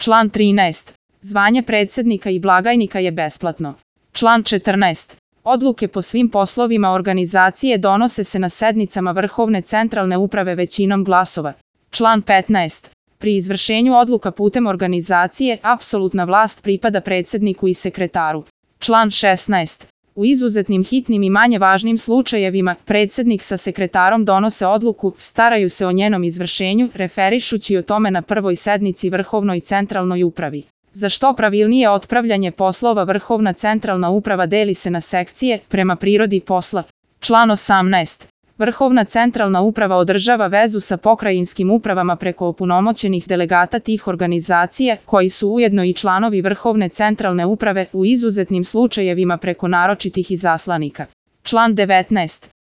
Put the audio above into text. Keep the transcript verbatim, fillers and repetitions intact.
Član trinaest. Zvanje predsednika i blagajnika je besplatno. Član četrnaest. Odluke po svim poslovima organizacije donose se na sednicama Vrhovne centralne uprave većinom glasova. Član petnaest. Pri izvršenju odluka putem organizacije, apsolutna vlast pripada predsedniku i sekretaru. Član šesnaest. U izuzetnim hitnim i manje važnim slučajevima, predsednik sa sekretarom donose odluku, staraju se o njenom izvršenju, referišući o tome na prvoj sednici Vrhovnoj centralnoj upravi. Za što pravilnije otpravljanje poslova Vrhovna centralna uprava deli se na sekcije, prema prirodi posla. Član osamnaest. Vrhovna centralna uprava održava vezu sa pokrajinskim upravama preko opunomoćenih delegata tih organizacija, koji su ujedno i članovi Vrhovne centralne uprave, u izuzetnim slučajevima preko naročitih izaslanika. Član devetnaest.